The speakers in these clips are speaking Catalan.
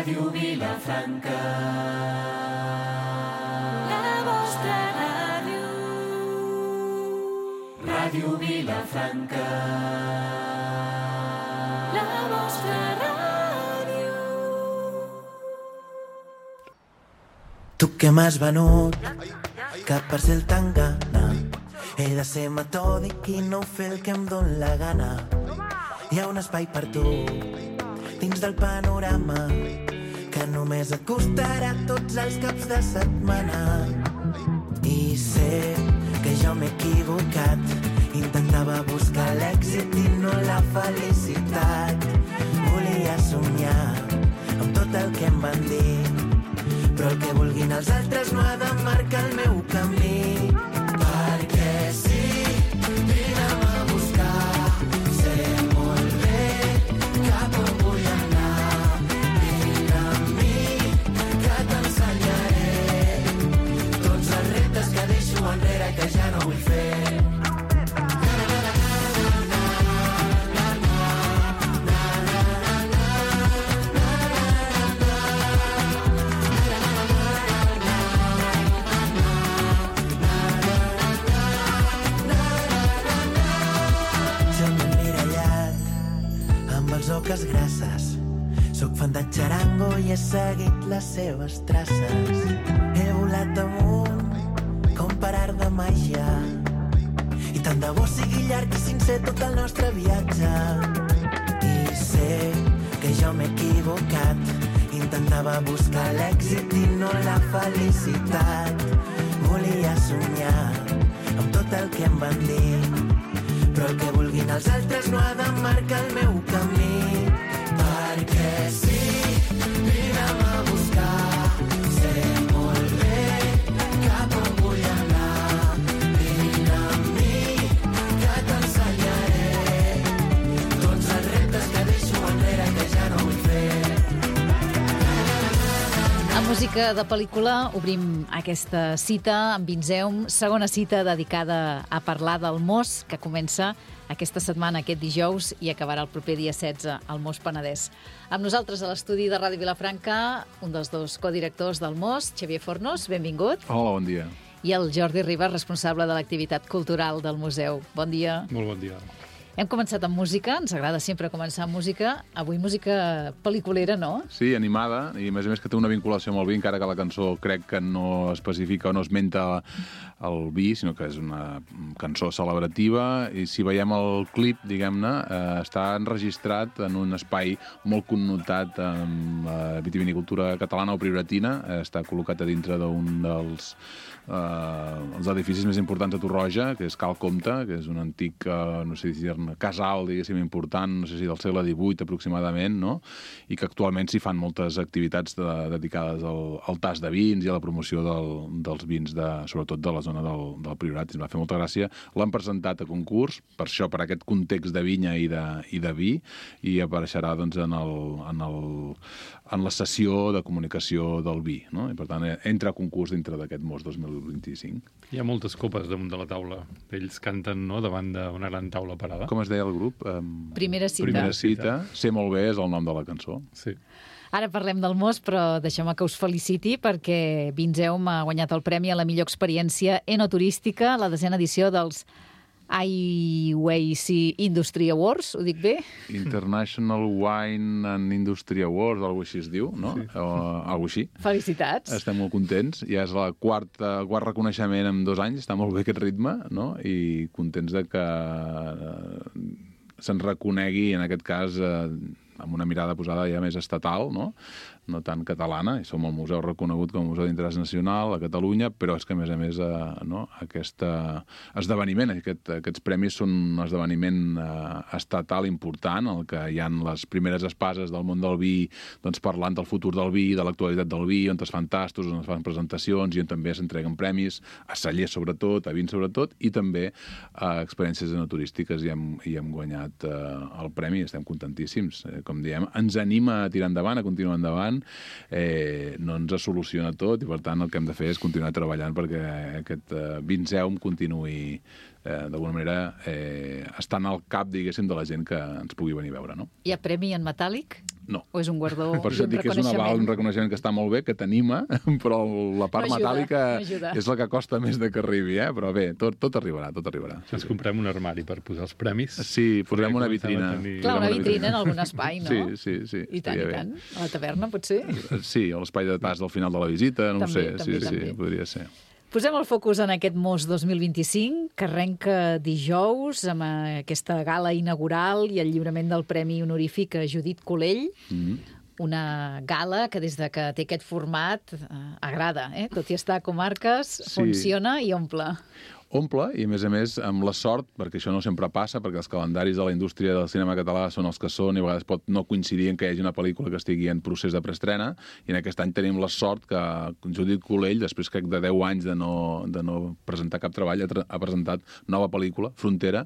Ràdio Vilafranca. La vostra ràdio. Ràdio Vilafranca. La vostra ràdio. Tu que m'has venut, que per ser el tan gana he de ser metòdic i no fer el que em dóna la gana. Hi ha un espai per tu dins del panorama que només et costarà tots els caps de setmana. I sé que jo m'he equivocat, intentava buscar l'èxit i no la felicitat. Volia somiar amb tot el que em van dir, però el que vulguin els altres no ha de marcar el meu camí. Perquè sí, vine'm a buscar, sé molt bé cap on vull anar. Vine amb mi, que t'ensenyaré tots els reptes que deixo enrere i que ja no vull fer. Oques grasses, soc fan de xarango i he seguit les seves traces. He volat amunt com per art de màgia i tant de bo sigui llarg i sincer tot el nostre viatge. I sé que jo m'he equivocat, intentava buscar l'èxit i no la felicitat. Volia somiar amb tot el que em van dir, però el que vulguin els altres no ha de marcar el meu camí. Perquè sí, vine'm a buscar, sé molt bé cap on vull anar. Vine amb mi, que t'ensenyaré tots els reptes que deixo enrere i que ja no vull fer. A música de pel·lícula obrim aquesta cita amb Vinzeum, segona cita dedicada a parlar del Mos, que comença aquesta setmana, aquest dijous, i acabarà el proper dia 16 al Mos Penedès. Amb nosaltres a l'estudi de Ràdio Vilafranca, un dels dos codirectors del Mos, Xavier Fornos, benvingut. Hola, bon dia. I el Jordi Ribas, responsable de l'activitat cultural del museu. Bon dia. Molt bon dia. Hem començat amb música, ens agrada sempre començar amb música. Avui música pel·liculera, no? Sí, animada, i a més que té una vinculació amb el vi, encara que la cançó crec que no especifica o no esmenta el vi, sinó que és una cançó celebrativa, i si veiem el clip, diguem-ne, està enregistrat en un espai molt connotat amb vitivinicultura catalana o prioratina, està col·locat a dintre d'un dels els edificis més importants de Torroja, que és Cal Comte, que és un antic, no sé si casal, diguéssim, important, no sé si del segle XVIII aproximadament, no? I que actualment s'hi fan moltes activitats dedicades al tast de vins i a la promoció dels vins, sobretot de la zona del Priorat. Ens va fer molta gràcia. L'han presentat a concurs, per això, per aquest context de vinya i de vi, i apareixerà doncs, en la sessió de comunicació del vi, no? I per tant entra a concurs dintre d'aquest Mos 2025. Hi ha moltes copes damunt de la taula. Ells canten, no?, davant d'una gran taula parada. Com es deia el grup? Primera cita. Primera cita. Sé molt bé és el nom de la cançó. Sí. Ara parlem del Mos, però deixeu-me que us feliciti perquè Vinzeum ha guanyat el premi a la millor experiència enoturística a la 10ª edició dels IWC Industry Awards, ho dic bé? International Wine and Industry Awards, alguna així es diu, no? Sí. O alguna així. Felicitats. Estem molt contents. Ja és el quart reconeixement en 2 anys, està molt bé aquest ritme, no? I contents de que se'n reconegui, en aquest cas, amb una mirada posada ja més estatal, no tant catalana, i som el museu reconegut com a museu d'interès nacional a Catalunya, però és que, a més, aquest esdeveniment, aquests premis són un esdeveniment estatal important, en què hi ha les primeres espases del món del vi, doncs, parlant del futur del vi, de l'actualitat del vi, on es fan tastos, on es fan presentacions, i on també s'entreguen premis, a cellers sobretot, a vins sobretot, i també a experiències enoturístiques, i hem guanyat el premi, estem contentíssims. Com diem, ens anima a tirar endavant, a continuar endavant, no ens soluciona tot, i per tant el que hem de fer és continuar treballant perquè aquest Vinzeum continuï d'alguna manera, estan al cap, diguéssim, de la gent que ens pugui venir a veure, no? Hi ha premi en metàl·lic? No. O és un guardó, Per això un et dic que és un reconeixement que està molt bé, que t'anima, però la part No ajuda, metàl·lica no ajuda. és la que costa més de que arribi, Però bé, tot arribarà, tot arribarà. Ens comprem un armari per posar els premis. Sí, posarem una Comencem a vitrina. tenir- Clar, una vitrina en algun espai, no? Sí. I tant, estaria i bé. tant. A la taverna, potser? Sí, a l'espai de pas del final de la visita, no ho També, sé. també, Sí, també. podria ser. Posem el focus en aquest MOS 2025, que arrenca dijous amb aquesta gala inaugural i el lliurament del Premi Honorífic a Judit Colell. Una gala que des de que té aquest format agrada, tot i estar a comarques, funciona i omple. Omple, i a més, amb la sort, perquè això no sempre passa, perquè els calendaris de la indústria del cinema català són els que són, i a vegades pot no coincidir en que hi hagi una pel·lícula que estigui en procés de preestrena, i en aquest any tenim la sort que Judit Colell, després crec de 10 anys de no presentar cap treball, ha presentat nova pel·lícula, Frontera,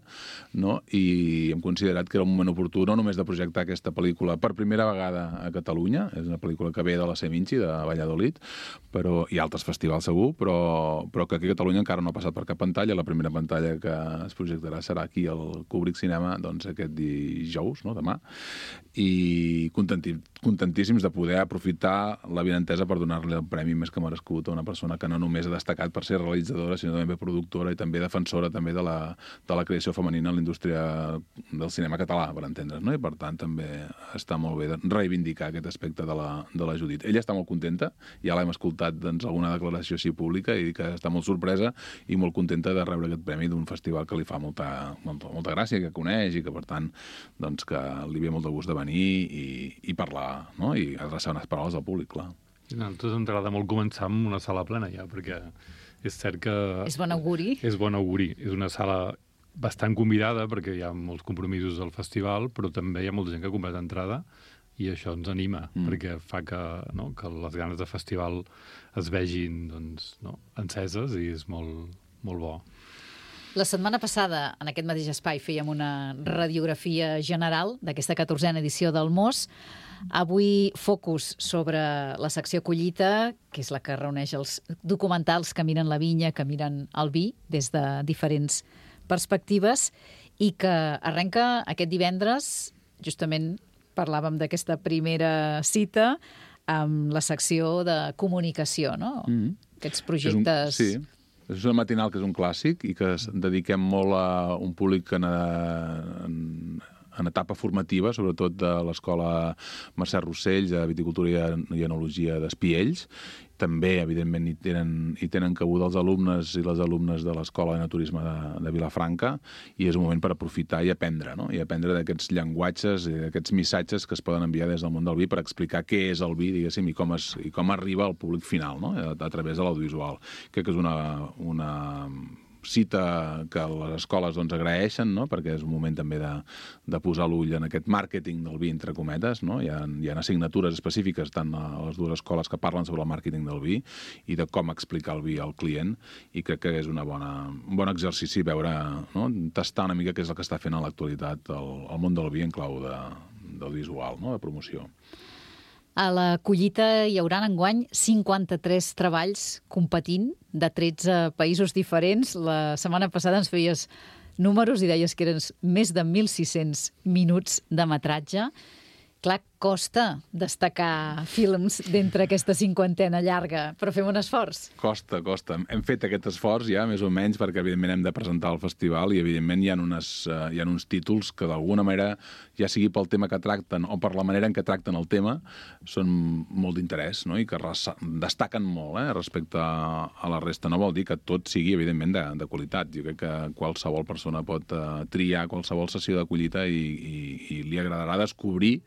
no? I hem considerat que era un moment oportú no només de projectar aquesta pel·lícula per primera vegada a Catalunya, és una pel·lícula que ve de la Seminci, de Valladolid, i altres festivals segur, però que aquí a Catalunya encara no ha passat per cap pantalla. La primera pantalla que es projectarà serà aquí al Kubrick Cinema, doncs aquest dijous, no? Demà, i contentíssims de poder aprofitar la vinentesa per donar-li el premi més que merescut a una persona que no només ha destacat per ser realitzadora, sinó també productora i també defensora també de la creació femenina en la indústria del cinema català, per entendre's, no? I per tant també està molt bé de reivindicar aquest aspecte de la Judit. Ella està molt contenta, ja l'hem escoltat alguna declaració així pública, i que està molt sorpresa i molt contenta de rebre aquest premi d'un festival que li fa molta gràcia, que coneix i que, per tant, doncs, que li ve molt de gust de venir i parlar, no? I adreçar unes paraules al públic, clar. A nosaltres ens agrada molt començar amb una sala plena ja, perquè és cert que... És bon auguri. És bon auguri. És una sala bastant convidada, perquè hi ha molts compromisos del festival, però també hi ha molta gent que ha comprat entrada, i això ens anima, perquè fa que les ganes de festival es vegin enceses, i és molt bo. La setmana passada, en aquest mateix espai, fèiem una radiografia general d'aquesta 14a edició del MOS. Avui, focus sobre la secció Collita, que és la que reuneix els documentals que miren la vinya, que miren el vi, des de diferents perspectives, i que arrenca aquest divendres, justament parlàvem d'aquesta primera cita, amb la secció de comunicació, no? Aquests projectes... Sí. És una matinal que és un clàssic i que dediquem molt a un públic en etapa formativa, sobretot de l'escola Mercè Rossell, de Viticultura i Enologia d'Espiells. També, evidentment, hi tenen cabuda els alumnes i les alumnes de l'Escola de Naturisme de Vilafranca, i és un moment per aprofitar i aprendre, no? I aprendre d'aquests llenguatges i d'aquests missatges que es poden enviar des del món del vi per explicar què és el vi, diguéssim, i com arriba al públic final, no? A través de l'audiovisual. Crec que és una cita que les escoles agraeixen, no? Perquè és un moment també de posar l'ull en aquest màrqueting del vi, entre cometes, no? Hi ha assignatures específiques tant a les dues escoles que parlen sobre el màrqueting del vi i de com explicar el vi al client, i crec que és un bon exercici veure, no? Tastar una mica què és el que està fent a l'actualitat el món del vi en clau del visual, no? De promoció. A la Collita hi haurà enguany 53 treballs competint de 13 països diferents. La setmana passada ens feies números i deies que eren més de 1.600 minuts de metratge. Clar, costa destacar films d'entre aquesta cinquantena llarga, però fem un esforç. Costa. Hem fet aquest esforç ja, més o menys, perquè evidentment hem de presentar el festival i evidentment hi ha uns títols que d'alguna manera, ja sigui pel tema que tracten o per la manera en què tracten el tema, són molt d'interès, no? I que destaquen molt respecte a la resta. No vol dir que tot sigui, evidentment, de qualitat. Jo crec que qualsevol persona pot triar qualsevol sessió de collita i li agradarà descobrir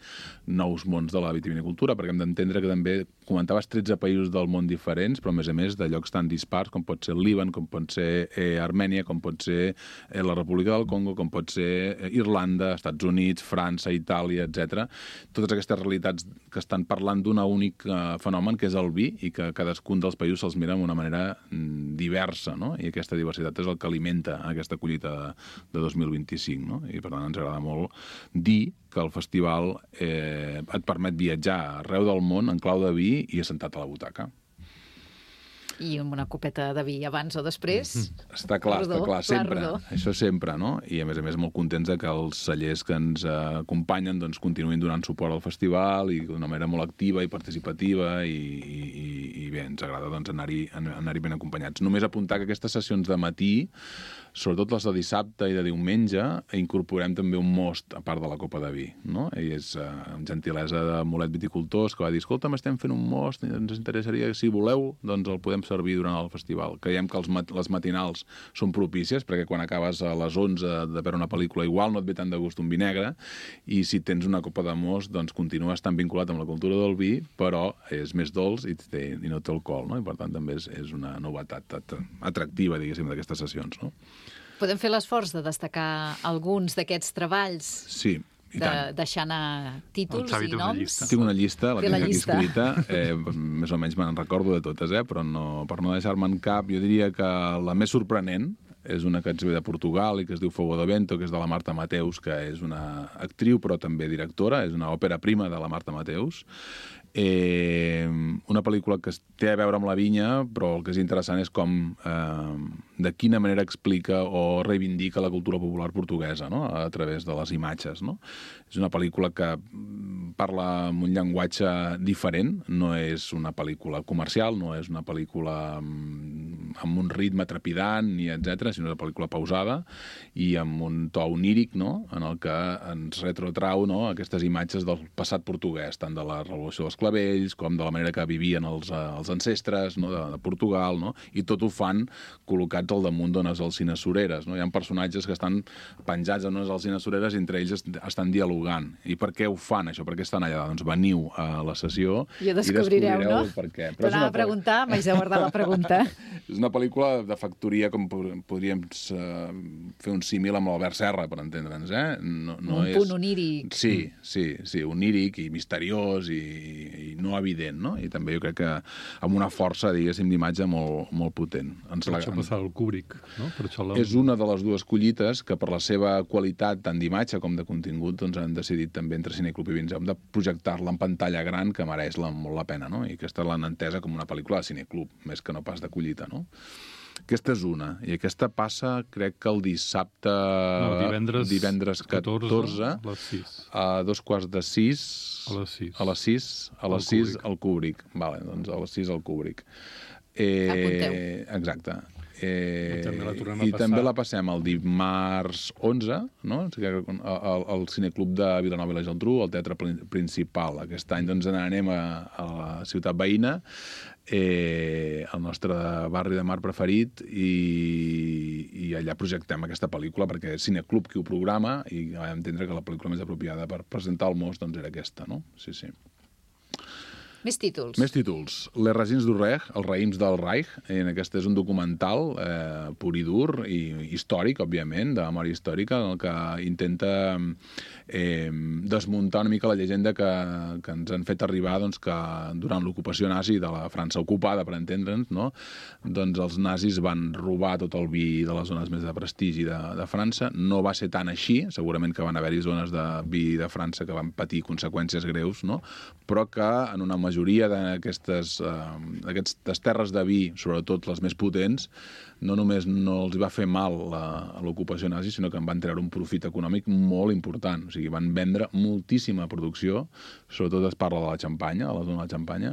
nous mons de la vitivinicultura, perquè hem d'entendre que també comentaves 13 països del món diferents, però a més de llocs tan dispars com pot ser el Líban, com pot ser Armènia, com pot ser la República del Congo, com pot ser Irlanda, Estats Units, França, Itàlia, etc. Totes aquestes realitats que estan parlant d'un únic fenomen, que és el vi, i que cadascun dels països se'ls mira d'una manera diversa, no? I aquesta diversitat és el que alimenta aquesta collita de 2025, no? I per tant ens agrada molt dir que el festival et permet viatjar arreu del món en clau de vi i assentat a la butaca. I amb una copeta de vi abans o després. Està clar, sempre. Rodó. Això sempre, no? I a més molt contents de que els cellers que ens acompanyen doncs, continuïn donant suport al festival i d'una manera molt activa i participativa i bé, ens agrada doncs, anar-hi ben acompanyats. Només apuntar que aquestes sessions de matí, sobretot les de dissabte i de diumenge, incorporem també un most a part de la copa de vi, no? I és amb gentilesa de Molet Viticultors, que va dir, escolta'm, estem fent un most, ens interessaria, si voleu, doncs el podem servir durant el festival. Creiem que les matinals són propícies, perquè quan acabes a les 11 de veure una pel·lícula igual no et ve tant de gust un vi negre, i si tens una copa de most, doncs continues tan vinculat amb la cultura del vi, però és més dolç i no té alcohol, no? I per tant també és una novetat atractiva, diguéssim, d'aquestes sessions, no? Podem fer l'esforç de destacar alguns d'aquests treballs? Sí, i tant. Deixar anar títols i noms? Tinc una llista, la tinc aquí llista escrita, més o menys me'n recordo de totes, però per no deixar-me'n cap, jo diria que la més sorprenent és una que ens ve de Portugal i que es diu Fogo de Vento, que és de la Marta Mateus, que és una actriu però també directora, és una òpera prima de la Marta Mateus. Una pel·lícula que té a veure amb la vinya, però el que és interessant és com de quina manera explica o reivindica la cultura popular portuguesa, no? A través de les imatges, no? És una pel·lícula que parla amb un llenguatge diferent, no és una pel·lícula comercial, no és una pel·lícula amb un ritme trepidant, ni etc, sinó una pel·lícula pausada i amb un to oníric, no? En el que ens retrotrau, no? Aquestes imatges del passat portuguès, tant de la Revolució dels Clavells com de la manera que vivien els ancestres, no? de Portugal, no? I tot ho fan col·locats al damunt d'unes alzines sureres, no? Hi ha personatges que estan penjats en unes alzines sureres i entre ells estan dialogant. I per què ho fan, això? Per què estan allà? Doncs veniu a la sessió i descobrireu, no? Per què. T'anava a preguntar, m'haig de guardar la pregunta. És una pel·lícula de factoria, com podríem fer un símil amb l'Albert Serra, per entendre'ns, un punt oníric. Sí, oníric i misteriós i no evident, no? I també jo crec que amb una força, diguéssim, d'imatge molt potent. Per això passava el Kubrick, no? Per això és una de les dues collites que per la seva qualitat tant d'imatge com de contingut doncs han decidit també entre Cineclub i Vinzeu de projectar-la en pantalla gran, que mereix molt la pena, no? I aquesta l'han entesa com una pel·lícula de Cineclub, més que no pas de collita, no? Aquesta és una, i aquesta passa, crec que el dissabte... No, divendres 14, a les 6. A 5:45... A les 6. A les 6 al Kubrick. Vale, doncs a les 6 al Kubrick. Apunteu. Exacte. I també la passem el dimarts 11, no? Al Cineclub de Vilanova i la Geltrú, al Teatre Principal. Aquest any doncs anem a la ciutat veïna, el nostre barri de mar preferit, i allà projectem aquesta pel·lícula perquè és Cineclub qui ho programa i vam entendre que la pel·lícula més apropiada per presentar el most doncs era aquesta, no? Sí. Més títols. Les racines du Reich, els raïms del Reich. Aquest és un documental pur i dur i històric, òbviament, de memòria històrica, en el que intenta desmuntar una mica la llegenda que ens han fet arribar doncs, que durant l'ocupació nazi de la França ocupada, per entendre'ns, no? Doncs els nazis van robar tot el vi de les zones més de prestigi de França. No va ser tan així, segurament que van haver-hi zones de vi de França que van patir conseqüències greus, no? Però que en una majoria d'aquestes terres de vi, sobretot les més potents, no només no els va fer mal l'ocupació nazi, sinó que en van treure un profit econòmic molt important. O sigui, van vendre moltíssima producció, sobretot es parla de la Xampanya, a la zona de la Xampanya,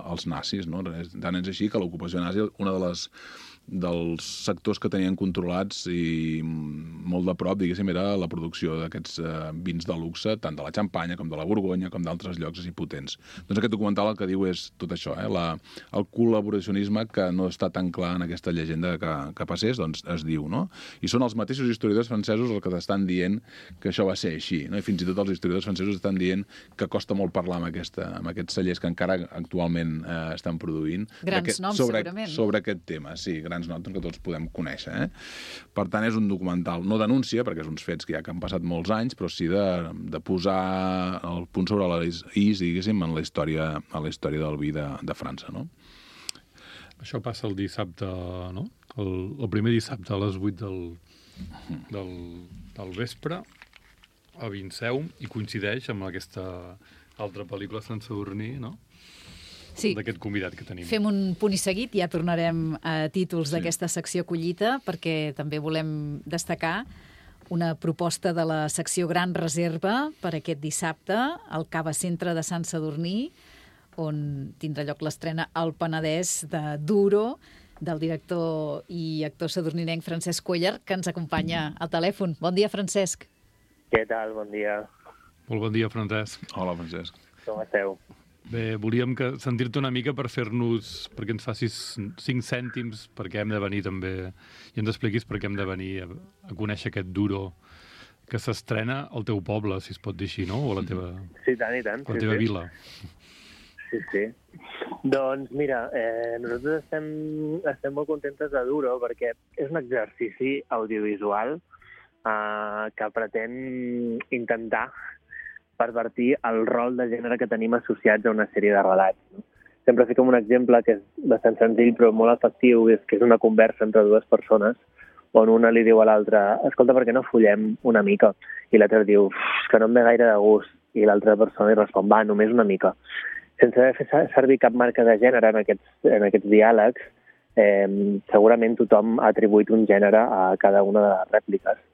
als nazis, no? Tant és així que l'ocupació nazi, una dels sectors que tenien controlats i molt de prop, diguéssim, era la producció d'aquests vins de luxe, tant de la Xampanya com de la Borgonya, com d'altres llocs així potents. Doncs aquest documental el que diu és tot això, el col·laboracionisme que no està tan clar en aquesta llegenda que passés, doncs es diu, no? I són els mateixos historiadors francesos els que t'estan dient que això va ser així, no? I fins i tot els historiadors francesos estan dient que costa molt parlar amb aquests cellers que encara actualment estan produint. Grans noms, segurament. Sobre aquest tema, sí, grans noms que tots podem conèixer. Per tant, és un documental, no denúncia, perquè és uns fets que ja que han passat molts anys, però sí de posar el punt sobre les is, diguéssim, en la història del vi de França, no? Això passa el dissabte, no? El primer dissabte a les 8 del vespre a Vinceum, i coincideix amb aquesta altra pel·lícula, Sant Sadurní, no? Sí. d'aquest convidat que tenim. Fem un punt i seguit, ja tornarem a títols d'aquesta secció collita, perquè també volem destacar una proposta de la secció Gran Reserva per aquest dissabte al Cava Centre de Sant Sadurní, on tindrà lloc l'estrena al Penedès de Duro, del director i actor sadurninenc Francesc Cuéllar, que ens acompanya al telèfon. Bon dia, Francesc. Què tal? Bon dia. Molt bon dia, Francesc. Hola, Francesc. Com esteu? Bé, volíem sentir-te una mica perquè ens facis 5 cèntims perquè hem de venir també i ens expliquis per què hem de venir a conèixer aquest Duro que s'estrena al teu poble, si es pot dir així, no? O a la teva, Sí, tant i tant. la teva vila. Sí. Doncs mira, nosaltres estem molt contentes de Duro perquè és un exercici audiovisual que pretén intentar pervertir el rol de gènere que tenim associats a una sèrie de relats. No? Sempre fico un exemple que és bastant senzill però molt efectiu, que és una conversa entre dues persones on una li diu a l'altra escolta, per què no follem una mica? I l'altra diu, és que no em ve gaire de gust. I l'altra persona li respon, va, només una mica. Sense haver fet servir cap marca de gènere en aquests diàlegs, segurament tothom ha atribuït un gènere a cada una de les rèpliques.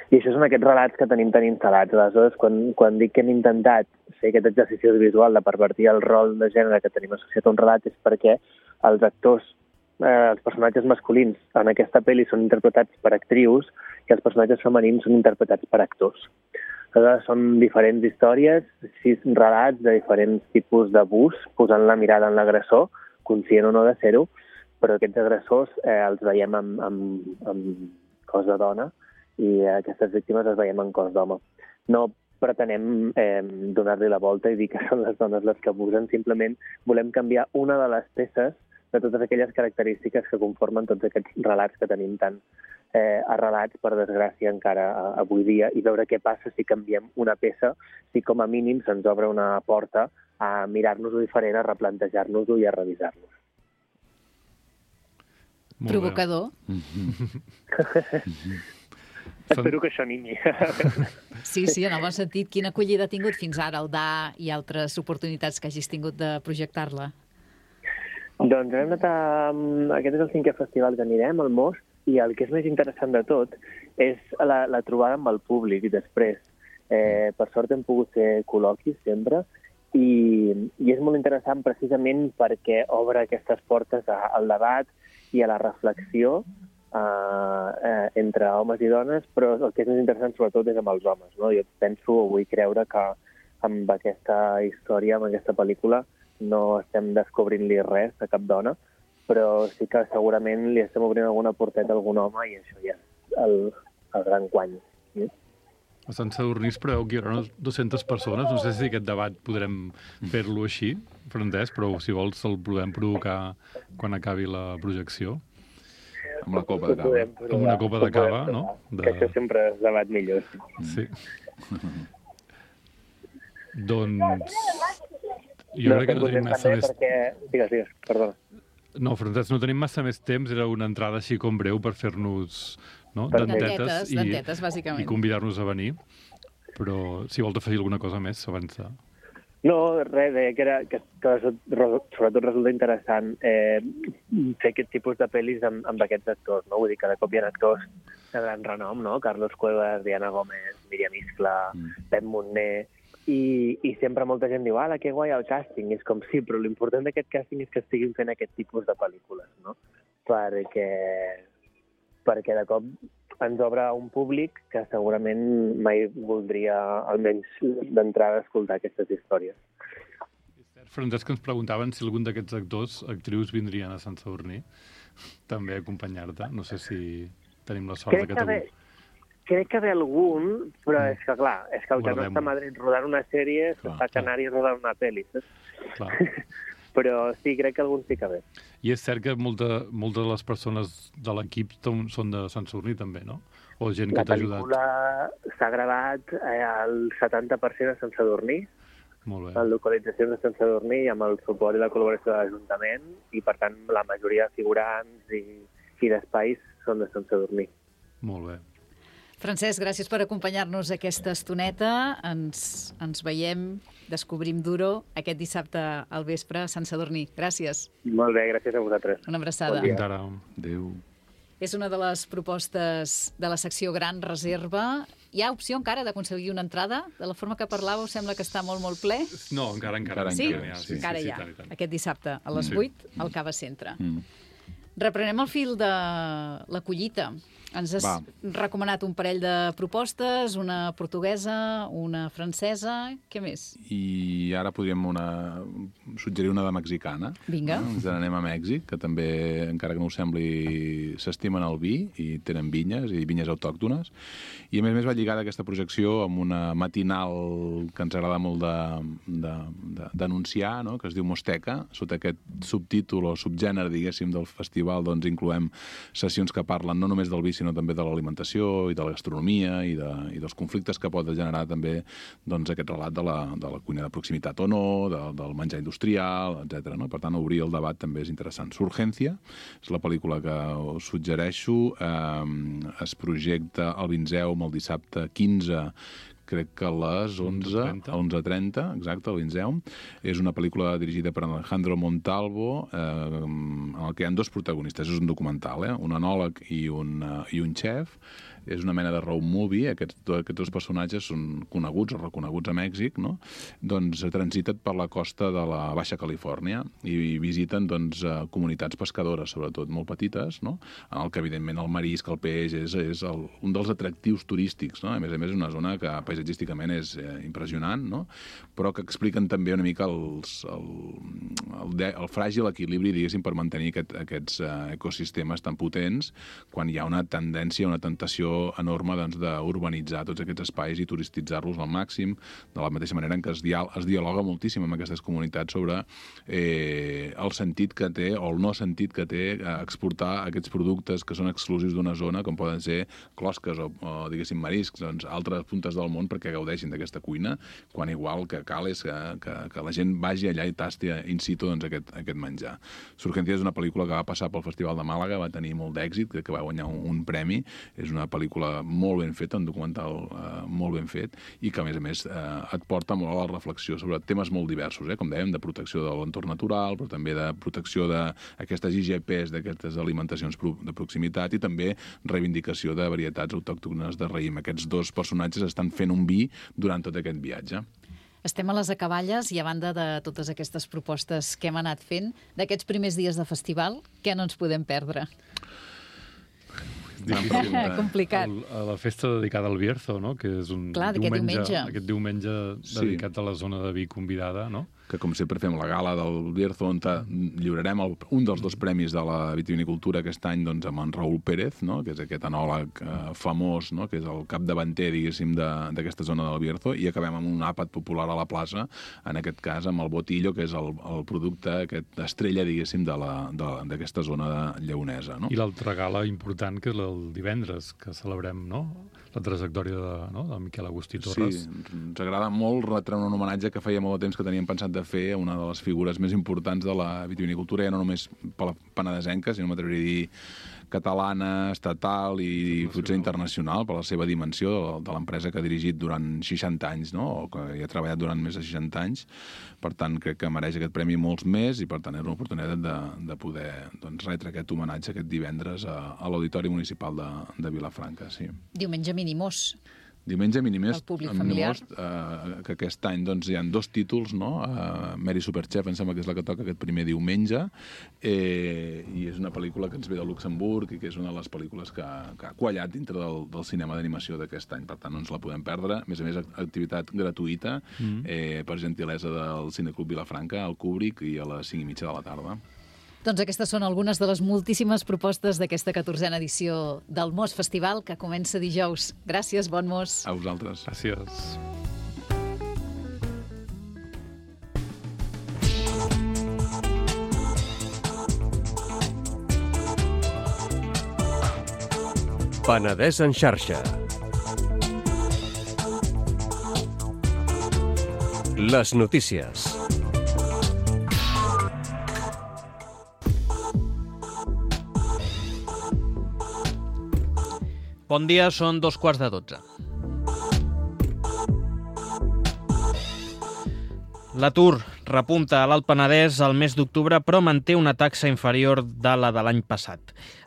I això són aquests relats que tenim tan instal·lats. Aleshores, quan dic que hem intentat fer aquest exercici visual de pervertir el rol de gènere que tenim associat a un relat és perquè els actors, els personatges masculins en aquesta pel·li són interpretats per actrius i els personatges femenins són interpretats per actors. Aleshores, són diferents històries, 6 relats de diferents tipus d'abús, posant la mirada en l'agressor, conscient o no de ser-ho, però aquests agressors els veiem amb cos de dona i aquestes víctimes les veiem en cos d'home. No pretenem donar-li la volta i dir que són les dones les que abusen, simplement volem canviar una de les peces de totes aquelles característiques que conformen tots aquests relats que tenim tan arrelats, per desgràcia, encara avui dia, i veure què passa si canviem una peça, si com a mínim se'ns obre una porta a mirar-nos-ho diferent, a replantejar-nos-ho i a revisar-nos. Provocador. Espero que això animi. Sí, en el bon sentit. Quina acollida ha tingut fins ara el DA i altres oportunitats que hagis tingut de projectar-la? Doncs hem anat aquest és el 5è festival que anirem, al Most, i el que és més interessant de tot és la trobada amb el públic després. Per sort hem pogut fer col·loquis sempre i és molt interessant precisament perquè obre aquestes portes al debat i a la reflexió entre homes i dones, però el que és més interessant sobretot és amb els homes. No? Jo penso o vull creure que amb aquesta història, amb aquesta pel·lícula, no estem descobrint-li res a cap dona, però sí que segurament li estem obrint alguna porteta a algun home i això ja és el gran guany. A Sant Sadurní es preveu que hi haurà unes 200 persones. No sé si aquest debat podrem fer-lo així, Francesc, però si vols el podem provocar quan acabi la projecció. Amb la copa de cava. Amb una copa de cava, no? Que això sempre és debat millor. Sí. Doncs jo crec que no tenim massa més... Digues, perdona. No, Francesc, no tenim massa més temps. Era una entrada així com breu per fer-nos dentetes, bàsicament. I convidar-nos a venir. Però si vols afegir alguna cosa més abans de... No, res, deia que sobretot resulta interessant fer aquest tipus de pel·lis amb aquests actors, no? Vull dir, cada cop hi ha actors de gran renom, no? Carlos Cuevas, Diana Gómez, Míriam Iscla, Pep Montner, i sempre molta gent diu, ala, que guai el càsting, és com sí, però l'important d'aquest càsting és que estiguin fent aquest tipus de pel·lícules, no? Perquè de cop ens obre un públic que segurament mai voldria, almenys d'entrada, escoltar aquestes històries. Francesc, ens preguntaven si algun d'aquests actors, actrius, vindrien a Sant Sadurní també a acompanyar-te. No sé si tenim la sort que t'avui... Crec que ve algun, però és que, clar, és que el que no està a Madrid rodant una sèrie s'està a Canàries rodant una pel·li. Clar. Però sí, crec que algun sí que ve. I és cert que moltes de les persones de l'equip són de Sant Sadurní també, no? O gent que t'ha ajudat. La pel·lícula s'ha gravat el 70% a Sant Sadurní, en localitzacions de Sant Sadurní, amb el suport i la col·laboració de l'Ajuntament, i per tant la majoria de figurants i d'espais són de Sant Sadurní. Molt bé. Francesc, gràcies per acompanyar-nos aquesta estoneta. Ens veiem, descobrim Duro aquest dissabte al vespre a Sant Sadurní. Gràcies. Molt bé, gràcies a vosaltres. Una abraçada. Bon dia. Adéu. És una de les propostes de la secció Gran Reserva. Hi ha opció encara d'aconseguir una entrada? De la forma que parlàveu, sembla que està molt, molt ple. No, encara. Sí? Sí. Encara hi ha. tant. Aquest dissabte, a les 8, al Cava Centre. Mm. Reprenem el fil de la collita. Ens has recomanat un parell de propostes, una portuguesa, una francesa... Què més? I ara podríem suggerir una de mexicana. Vinga. Ens n'anem a Mèxic, que també, encara que no ho sembli, s'estimen el vi i tenen vinyes, i vinyes autòctones. I a més va lligada aquesta projecció amb una matinal que ens agrada molt d'anunciar, no? Que es diu Mosteca. Sota aquest subtítol o subgènere, diguéssim, del festival, doncs incloem sessions que parlen no només del vi, sinó també de l'alimentació i de la gastronomia i dels conflictes que pot generar també doncs, aquest relat de la cuina de proximitat o no, del menjar industrial, etc. No? Per tant, obrir el debat també és interessant. Surgencia és la pel·lícula que us suggereixo. Es projecta al Vinzeum el dissabte 15, crec que a les 11:30, exacte, al Vinzeum. És una pel·lícula dirigida per Alejandro Montalvo, en el que hi ha dos protagonistes. És un documental, un enòleg i un xef. És una mena de road movie. Aquests dos personatges són coneguts o reconeguts a Mèxic, no? Doncs transiten per la costa de la Baixa Califòrnia i visiten doncs, comunitats pescadores, sobretot molt petites, no? En el que, evidentment, el marisc, el peix, és un dels atractius turístics, no? A més, és una zona que paisatgísticament és impressionant, no? Però que expliquen també una mica el fràgil equilibri, diguéssim, per mantenir aquests ecosistemes tan potents quan hi ha una tendència, una tentació enorme d'urbanitzar tots aquests espais i turistitzar-los al màxim, de la mateixa manera en què es dialoga moltíssim amb aquestes comunitats sobre el sentit que té o el no sentit que té exportar aquests productes que són exclusius d'una zona, com poden ser closques o diguéssim, mariscs, doncs, altres puntes del món perquè gaudeixin d'aquesta cuina, quan igual que cal és que la gent vagi allà i tasti in situ doncs, aquest menjar. Surgencia és una pel·lícula que va passar pel Festival de Màlaga, va tenir molt d'èxit, que va guanyar un premi. És una pel·lícula molt ben feta, un documental molt ben fet, i que, a més, et porta molt a la reflexió sobre temes molt diversos, com dèiem, de protecció de l'entorn natural, però també de protecció d'aquestes IGPs, d'aquestes alimentacions de proximitat, i també reivindicació de varietats autòctones de raïm. Aquests dos personatges estan fent un vi durant tot aquest viatge. Estem a les acaballes i a banda de totes aquestes propostes que hem anat fent, d'aquests primers dies de festival, què no ens podem perdre? Complicat. La festa dedicada al Bierzo, no? Que és un diumenge. Aquest diumenge dedicat a la zona de vi convidada, no? Que, com sempre, fem la gala del Bierzo, on lliurarem un dels dos premis de la vitivinicultura aquest any doncs, amb en Raúl Pérez, no? Que és aquest enòleg famós, no? Que és el capdavanter, diguéssim, d'aquesta zona del Bierzo, i acabem amb un àpat popular a la plaça, en aquest cas amb el Botillo, que és el producte, aquest estrella, diguéssim, d'aquesta zona lleonesa. No? I l'altra gala important, que és el divendres, que celebrem, no?, la trajectòria de Miquel Agustí Torres. Sí, ens agrada molt retreure un homenatge que feia molt de temps que teníem pensat de fer a una de les figures més importants de la vitivinicultura, ja no només per la penedesenca, sinó m'atreviria a dir catalana, estatal i potser internacional, per la seva dimensió de l'empresa que ha dirigit durant 60 anys, no? O que hi ha treballat durant més de 60 anys. Per tant, crec que mereix aquest premi molts més i, per tant, és una oportunitat de poder retre aquest homenatge aquest divendres a l'Auditori Municipal de Vilafranca. Sí. Diumenge Minimós. Diumenge Minimós, que aquest any hi ha dos títols, no? Mary Superchef, em sembla que és la que toca aquest primer diumenge, i és una pel·lícula que ens ve de Luxemburg i que és una de les pel·lícules que ha quallat dintre del cinema d'animació d'aquest any. Per tant, no ens la podem perdre. A més, activitat gratuïta per gentilesa del Cineclub Vilafranca, al Kubrick, i a les 5:30 de la tarda. Doncs aquestes són algunes de les moltíssimes propostes d'aquesta 14a edició del Mos Festival, que comença dijous. Gràcies, bon Mos. A vosaltres. Gràcies. Penedès en xarxa. Les notícies. Bon dia, són 2:15. L'atur repunta a l'Alt Penedès al mes d'octubre, però manté una taxa inferior de la de l'any passat.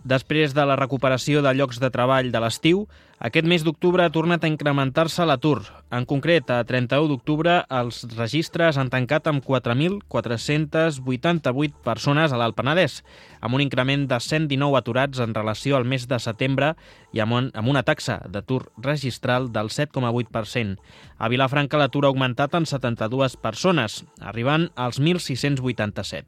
Després de la recuperació de llocs de treball de l'estiu, aquest mes d'octubre ha tornat a incrementar-se l'atur. En concret, a 31 d'octubre, els registres han tancat amb 4.488 persones a l'Alt Penedès, amb un increment de 119 aturats en relació al mes de setembre i amb una taxa d'atur registral del 7,8%. A Vilafranca l'atur ha augmentat en 72 persones, arribant als 1.687.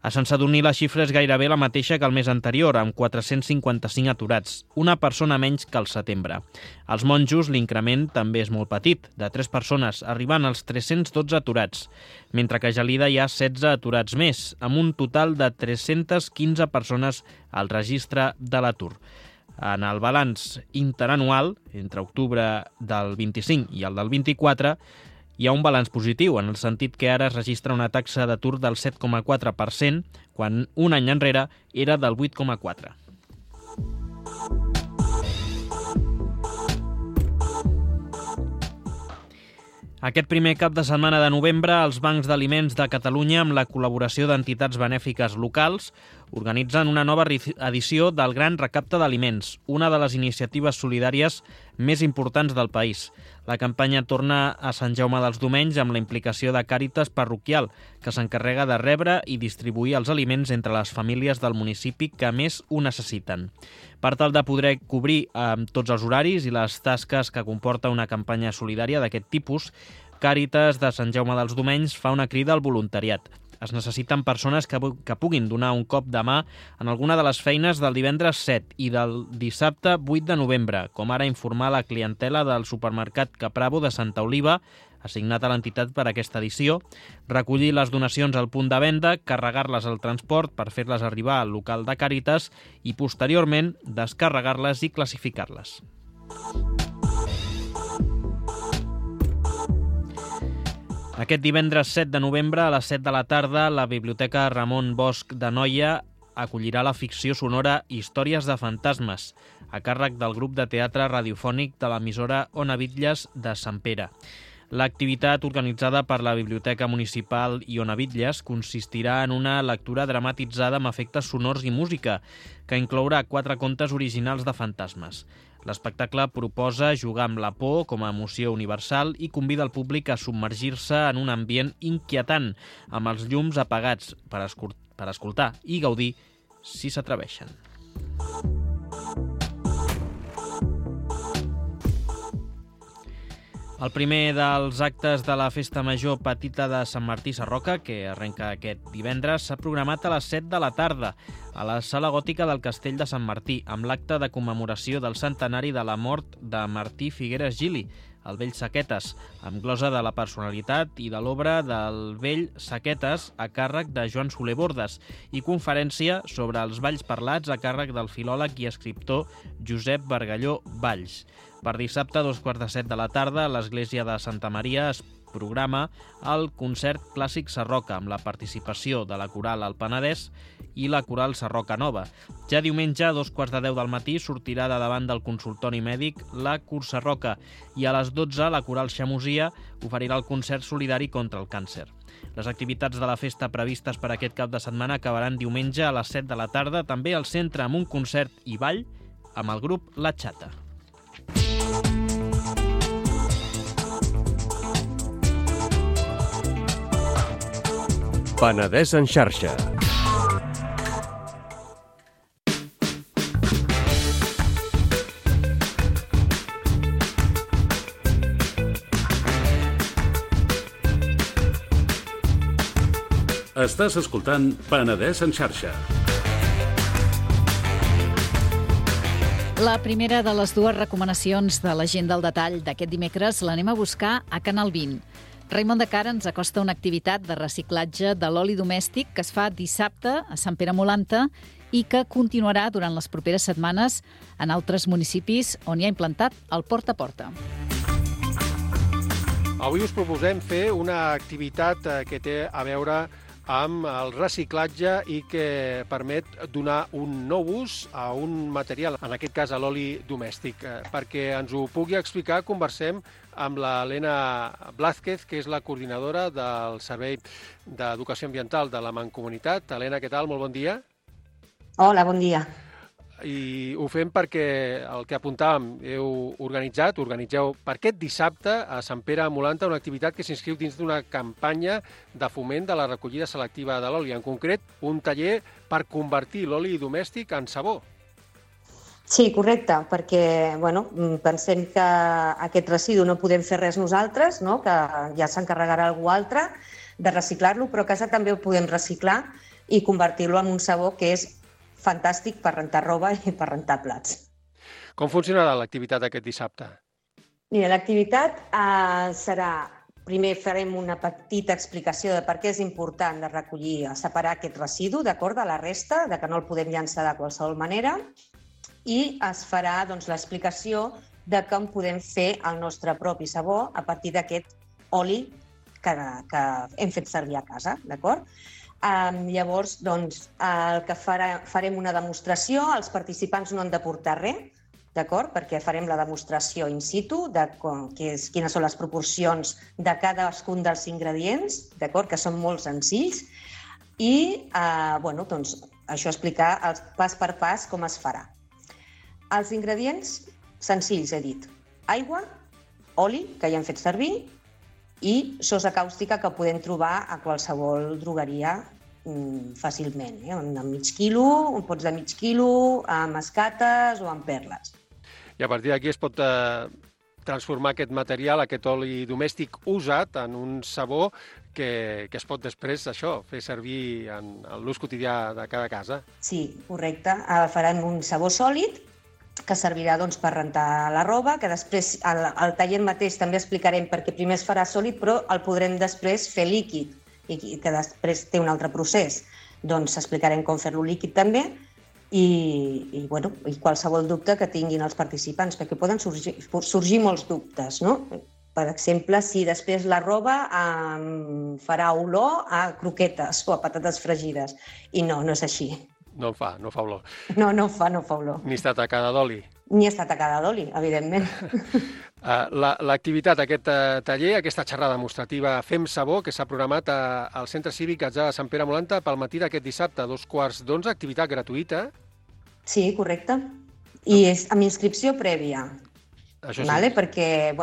A Sant Sadurní la xifra és gairebé la mateixa que el mes anterior, amb 455 aturats, una persona menys que al setembre. Als Monjos l'increment també és molt petit, de 3 persones, arribant als 312 aturats, mentre que a Gelida hi ha 16 aturats més, amb un total de 315 persones al registre de l'atur. En el balanç interanual, entre octubre del 25 i el del 24, hi ha un balanç positiu, en el sentit que ara es registra una taxa d'atur del 7,4%, quan un any enrere era del 8,4%. Aquest primer cap de setmana de novembre, els bancs d'aliments de Catalunya, amb la col·laboració d'entitats benèfiques locals, organitzen una nova edició del Gran Recapte d'Aliments, una de les iniciatives solidàries més importants del país. La campanya torna a Sant Jaume dels Domenys amb la implicació de Càritas Parroquial, que s'encarrega de rebre i distribuir els aliments entre les famílies del municipi que més ho necessiten. Per tal de poder cobrir tots els horaris i les tasques que comporta una campanya solidària d'aquest tipus, Càritas de Sant Jaume dels Domenys fa una crida al voluntariat. Es necessiten persones que puguin donar un cop de mà en alguna de les feines del divendres 7 i del dissabte 8 de novembre, com ara informar la clientela del supermercat Capravo de Santa Oliva, assignat a l'entitat per aquesta edició, recollir les donacions al punt de venda, carregar-les al transport per fer-les arribar al local de Càritas i, posteriorment, descarregar-les i classificar-les. Aquest divendres 7 de novembre, a les 7 de la tarda, la Biblioteca Ramon Bosch de Noia acollirà la ficció sonora Històries de fantasmes, a càrrec del grup de teatre radiofònic de l'emissora Ona Bitlles de Sant Pere. L'activitat, organitzada per la Biblioteca Municipal i Ona Bitlles, consistirà en una lectura dramatitzada amb efectes sonors i música, que inclourà 4 contes originals de fantasmes. L'espectacle proposa jugar amb la por com a emoció universal i convida el públic a submergir-se en un ambient inquietant, amb els llums apagats, per escoltar i gaudir si s'atreveixen. El primer dels actes de la Festa Major Petita de Sant Martí Sarroca, que arrenca aquest divendres, s'ha programat a les 7 de la tarda a la Sala Gòtica del Castell de Sant Martí, amb l'acte de commemoració del centenari de la mort de Martí Figueres Gili, el vell Saquetes, amb glosa de la personalitat i de l'obra del vell Saquetes a càrrec de Joan Soler Bordes i conferència sobre els balls parlats a càrrec del filòleg i escriptor Josep Bargalló Valls. Per dissabte, a 2:15 de la tarda, a l'església de Santa Maria es programa el concert Clàssic Sarroca, amb la participació de la Coral Alt Penedès i la Coral Sarroca Nova. Ja diumenge, a 2:15 del matí, sortirà de davant del consultori mèdic la Cur Sarroca i a les 12 la Coral Xamosia oferirà el concert solidari contra el càncer. Les activitats de la festa previstes per aquest cap de setmana acabaran diumenge a les 7 de la tarda, també al centre amb un concert i ball amb el grup La Xata. Penedès en xarxa. Estàs escoltant Penedès en xarxa. La primera de les dues recomanacions de l'agenda al detall d'aquest dimecres l'anem a buscar a Canal 20. Raimon de Cara ens acosta una activitat de reciclatge de l'oli domèstic que es fa dissabte a Sant Pere Molanta i que continuarà durant les properes setmanes en altres municipis on hi ha implantat el porta a porta. Avui us proposem fer una activitat que té a veure amb el reciclatge i que permet donar un nou ús a un material, en aquest cas a l'oli domèstic. Perquè ens ho pugui explicar, conversem amb l'Helena Blázquez, que és la coordinadora del Servei d'Educació Ambiental de la Mancomunitat. Helena, què tal? Molt bon dia. Hola, bon dia. I ho fem perquè el que apuntàvem, organitzeu per aquest dissabte a Sant Pere Molanta una activitat que s'inscriu dins d'una campanya de foment de la recollida selectiva de l'oli. En concret, un taller per convertir l'oli domèstic en sabó. Sí, correcte, perquè pensem que aquest residu no podem fer res nosaltres, no? Que ja s'encarregarà algú altre de reciclar-lo, però a casa també ho podem reciclar i convertir-lo en un sabó que és fantàstic per rentar roba i per rentar plats. Com funcionarà l'activitat aquest dissabte? Mira, l'activitat serà... Primer farem una petita explicació de per què és important de recollir, separar aquest residu, d'acord, de la resta, de que no el podem llançar de qualsevol manera, i es farà l'explicació de com podem fer el nostre propi sabó a partir d'aquest oli que hem fet servir a casa, d'acord? Llavors, el que farem una demostració, els participants no han de portar res, d'acord? Perquè farem la demostració in situ de quines són les proporcions de cadascun dels ingredients, d'acord? Que són molt senzills, i això explicar pas per pas com es farà. Els ingredients senzills, he dit, aigua, oli, que ja hem fet servir, i sosa càustica que podem trobar a qualsevol drogueria fàcilment, amb mig quilo, pots de mig quilo, amb escates o amb perles. I a partir d'aquí es pot transformar aquest material, aquest oli domèstic usat, en un sabó que es pot després, fer servir en l'ús quotidià de cada casa. Sí, correcte. Farem un sabó sòlid que servirà per rentar la roba, que després al taller mateix també explicarem perquè primer es farà sòlid, però el podrem després fer líquid, i que després té un altre procés. Explicarem com fer-lo líquid també i qualsevol dubte que tinguin els participants, perquè poden sorgir molts dubtes, no? Per exemple, si després la roba farà olor a croquetes o a patates fregides. I no és així. No fa olor. No fa olor. Ni està tacada d'oli. Ni està tacada d'oli, evidentment. L'activitat, aquest taller, aquesta xerrada demostrativa Fem Sabó, que s'ha programat al Centre Cívic Atzà de Sant Pere Molanta pel matí d'aquest dissabte, a 11:15, activitat gratuïta. Sí, correcte. I és amb inscripció prèvia. Això sí. Perquè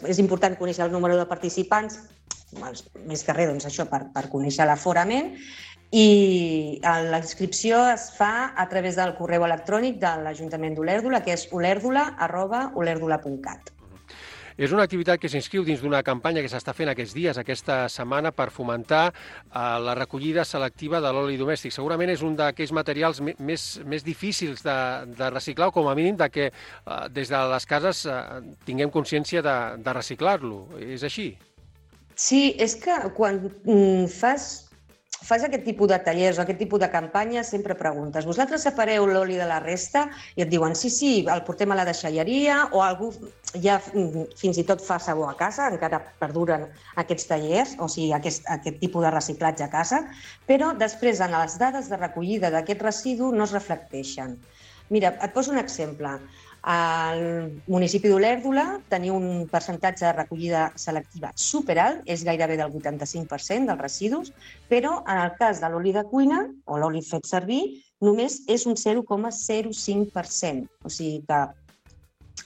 és important conèixer el número de participants, més que res, per conèixer l'aforament, i la inscripció es fa a través del correu electrònic de l'Ajuntament d'Olèrdola, que és olerdula@olerdula.cat. És una activitat que s'inscriu dins d'una campanya que s'està fent aquests dies, aquesta setmana, per fomentar la recollida selectiva de l'oli domèstic. Segurament és un d'aquells materials més difícils de reciclar, o com a mínim que des de les cases tinguem consciència de reciclar-lo. És així? Sí, és que quan fas aquest tipus de tallers o aquest tipus de campanyes, sempre preguntes, vosaltres separeu l'oli de la resta? I et diuen, sí, el portem a la deixalleria, o algú ja fins i tot fa sabó a casa, encara perduren aquests tallers, o sigui, aquest tipus de reciclatge a casa, però després en les dades de recollida d'aquest residu no es reflecteixen. Mira, et poso un exemple. Al municipi d'Olèrdola teniu un percentatge de recollida selectiva superalt, és gairebé del 85% dels residus, però en el cas de l'oli de cuina, o l'oli fet servir, només és un 0,05%. O sigui que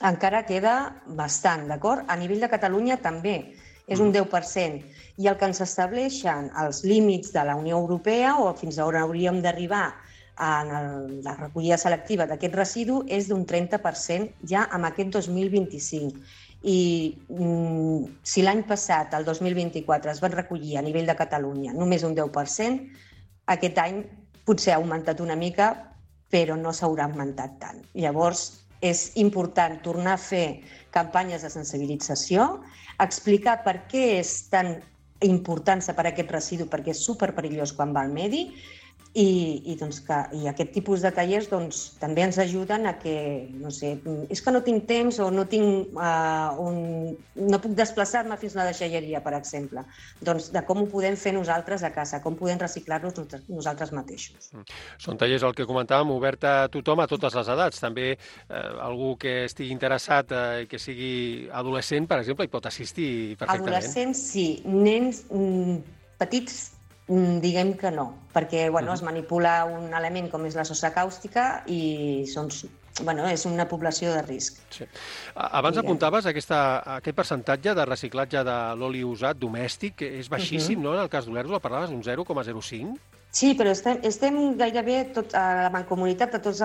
encara queda bastant, d'acord? A nivell de Catalunya també és un 10%. I el que ens estableixen els límits de la Unió Europea, o fins a on hauríem d'arribar en la recollida selectiva d'aquest residu, és d'un 30% ja amb aquest 2025. I si l'any passat, el 2024, es van recollir a nivell de Catalunya només un 10%, aquest any potser ha augmentat una mica, però no s'haurà augmentat tant. Llavors, és important tornar a fer campanyes de sensibilització, explicar per què és tan important separar aquest residu, perquè és superperillós quan va al medi, I aquest tipus de tallers també ens ajuden a que, no sé, és que no tinc temps o no puc desplaçar-me fins a la deixalleria, per exemple. Doncs de com ho podem fer nosaltres a casa, com podem reciclar-nos nosaltres mateixos. Són tallers, el que comentàvem, obert a tothom, a totes les edats. També algú que estigui interessat i que sigui adolescent, per exemple, hi pot assistir perfectament. Adolescents, sí. Nens petits, diguem que no, perquè es manipula un element com és la sosa càustica i és una població de risc. Sí. Abans apuntaves aquest percentatge de reciclatge de l'oli usat domèstic, que és baixíssim, no? En el cas d'Olèrdola parlaves d'un 0,05? Sí, però estem gairebé a la Mancomunitat, a tots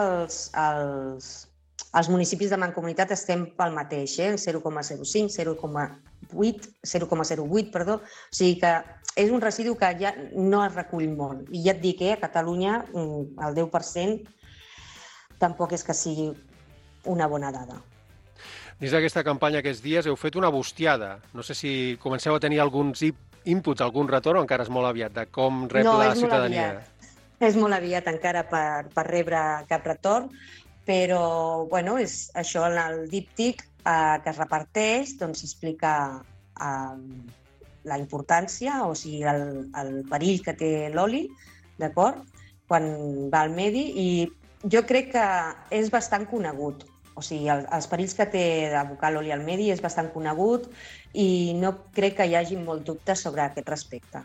els municipis de Mancomunitat estem pel mateix, 0,05, 0,08, perdó. O sigui que és un residu que ja no es recull molt. I ja et dic, a Catalunya el 10% tampoc és que sigui una bona dada. Dins d'aquesta campanya aquests dies heu fet una bustiada. No sé si comenceu a tenir alguns inputs, algun retorn, o encara és molt aviat, de com rep la ciutadania. És molt aviat encara per rebre cap retorn, però és això, en el díptic que es reparteix, s'explica la importància, o sigui, el perill que té l'oli, d'acord? Quan va al medi, i jo crec que és bastant conegut. O sigui, els perills que té d'abocar l'oli al medi és bastant conegut i no crec que hi hagi molt dubte sobre aquest respecte.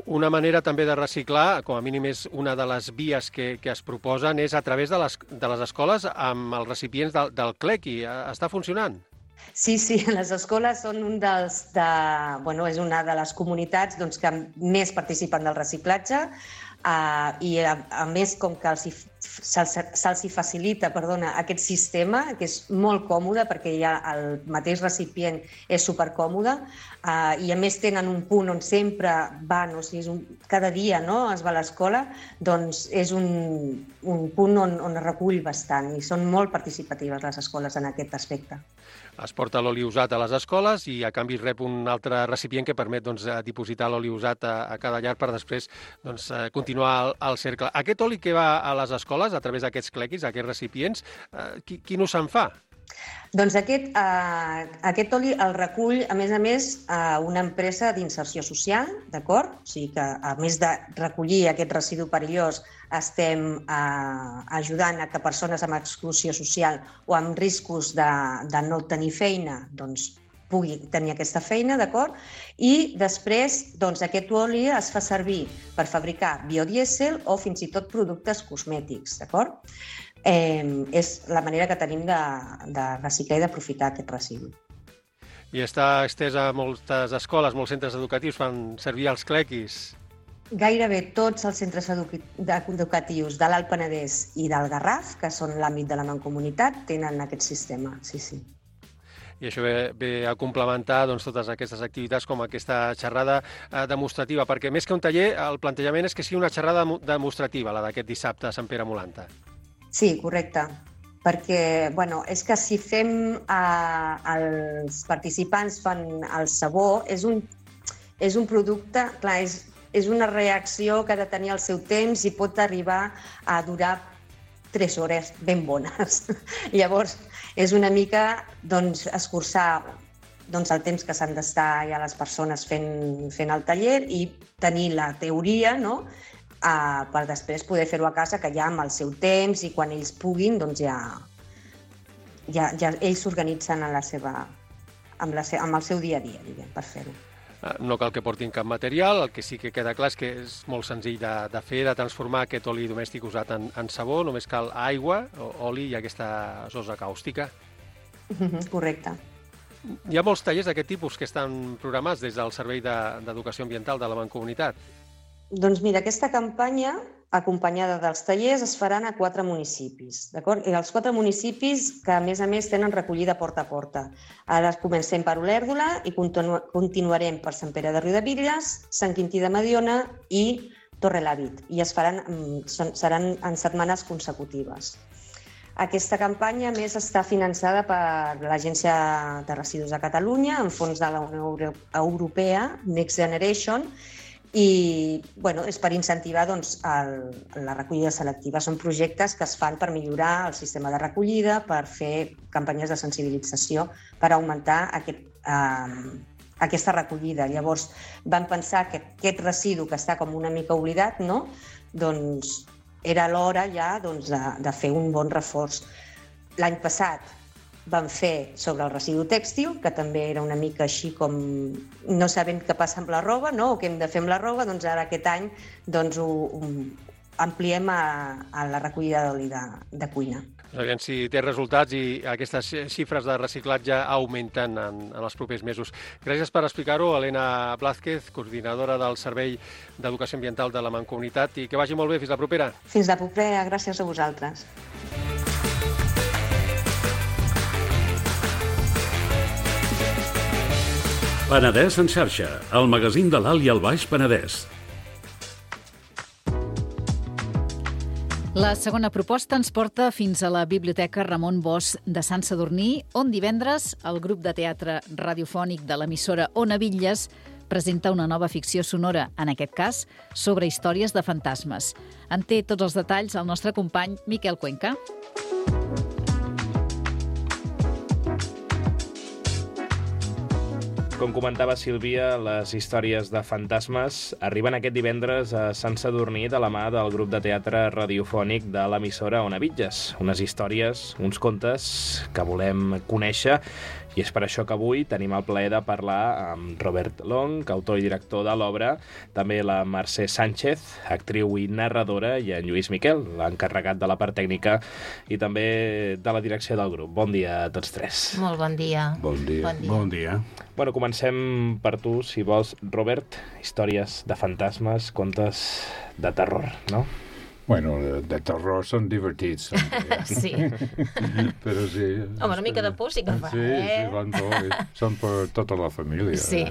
Una manera també de reciclar, com a mínim és una de les vies que es proposen, és a través de les escoles amb els recipients del clequi. Està funcionant? Sí, les escoles són és una de les comunitats que més participen del reciclatge i, a més, com que se'ls facilita aquest sistema, que és molt còmode perquè el mateix recipient és supercòmode i, a més, tenen un punt on sempre van, o sigui, cada dia es va a l'escola, doncs és un punt on es recull bastant i són molt participatives les escoles en aquest aspecte. Es porta l'oli usat a les escoles i a canvi rep un altre recipient que permet dipositar l'oli usat a cada llar per després continuar el cercle. Aquest oli que va a les escoles a través d'aquests clequis, aquests recipients, quin ús se'n fa? Doncs aquest oli el recull, a més, una empresa d'inserció social, d'acord? O sigui que, a més de recollir aquest residu perillós, estem ajudant a que persones amb exclusió social o amb riscos de no tenir feina pugui tenir aquesta feina, d'acord? I després aquest oli es fa servir per fabricar biodièsel o fins i tot productes cosmètics, d'acord? És la manera que tenim de reciclar i d'aprofitar aquest residu. I està estès a moltes escoles, molts centres educatius fan servir els clequis? Gairebé tots els centres educatius de l'Alt Penedès i del Garraf, que són l'àmbit de la Mancomunitat, tenen aquest sistema, sí. I això ve a complementar totes aquestes activitats com aquesta xerrada demostrativa, perquè més que un taller, el plantejament és que sigui una xerrada demostrativa, la d'aquest dissabte a Sant Pere Molanta. Sí, correcte, perquè és que si fem els participants fan el sabó, és un producte, clar, és una reacció que ha de tenir el seu temps i pot arribar a durar 3 hores ben bones. Llavors, és una mica escurçar el temps que s'han d'estar ja les persones fent el taller i tenir la teoria, per després poder fer-ho a casa, que ja amb el seu temps i quan ells puguin, ja ells s'organitzen amb el seu dia a dia, per fer-ho. No cal que portin cap material, el que sí que queda clar és que és molt senzill de fer, de transformar aquest oli domèstic usat en sabó, només cal aigua, oli i aquesta sosa càustica. Correcte. Hi ha molts tallers d'aquest tipus que estan programats des del Servei d'Educació Ambiental de la Mancomunitat. Doncs mira, aquesta campanya, acompanyada dels tallers, es faran a 4 municipis, d'acord? I els 4 municipis que, a més, tenen recollida porta a porta. Ara comencem per Olèrdola i continuarem per Sant Pere de Riudebitlles, Sant Quintí de Mediona i Torrelavit. I seran en setmanes consecutives. Aquesta campanya, a més, està finançada per l'Agència de Residus de Catalunya, en fons de la Unió Europea, Next Generation, I és per incentivar la recollida selectiva. Són projectes que es fan per millorar el sistema de recollida, per fer campanyes de sensibilització, per augmentar aquesta recollida. Llavors vam pensar que aquest residu que està com una mica oblidat, no? Doncs era l'hora ja de fer un bon reforç. L'any passat vam fer sobre el residu tèxtil, que també era una mica així com no sabem què passa amb la roba, no? O què hem de fer amb la roba, doncs ara aquest any ho ampliem a la recollida d'oli de cuina. Aviam si té resultats i aquestes xifres de reciclatge augmenten en els propers mesos. Gràcies per explicar-ho, Helena Blázquez, coordinadora del Servei d'Educació Ambiental de la Mancomunitat, i que vagi molt bé. Fins la propera. Fins la propera, gràcies a vosaltres. Penedès en xarxa, el magazín de l'Alt i el Baix Penedès. La segona proposta ens porta fins a la Biblioteca Ramon Bosch de Sant Sadurní, on divendres el grup de teatre radiofònic de l'emissora Ona Bitlles presenta una nova ficció sonora, en aquest cas, sobre històries de fantasmes. En té tots els detalls el nostre company Miquel Cuenca. Com comentava Sílvia, les històries de fantasmes arriben aquest divendres a Sant Sadurní de la mà del grup de teatre radiofònic de l'emissora Ona Bitlles. Unes històries, uns contes que volem conèixer, i és per això que avui tenim el plaer de parlar amb Robert Long, autor i director de l'obra, també la Mercè Sánchez, actriu i narradora, i en Lluís Miquel, l'encarregat de la part tècnica i també de la direcció del grup. Bon dia a tots tres. Molt bon dia. Bon dia. Bon dia. Bueno, comencem per tu, si vols, Robert. Històries de fantasmes, contes de terror, no? Bueno, de terror són divertits. Sí. Però sí. Home, una mica de por sí que fa, sí, són per tota la família. Sí.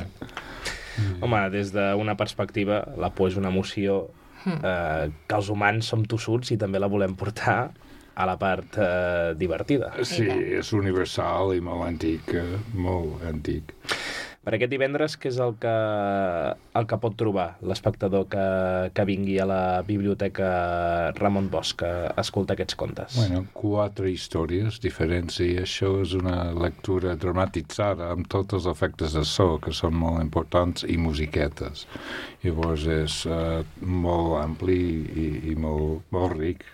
Home, des d'una perspectiva, la por és una emoció que els humans som tossuts i també la volem portar a la part divertida. Sí, és universal i molt antic, molt antic. Per aquest divendres, què és el que pot trobar l'espectador que vingui a la Biblioteca Ramon Bosch a escoltar aquests contes? Bueno, 4 històries diferents i això és una lectura dramatitzada amb tots els efectes de so que són molt importants i musiquetes. Llavors és molt ampli i molt ric.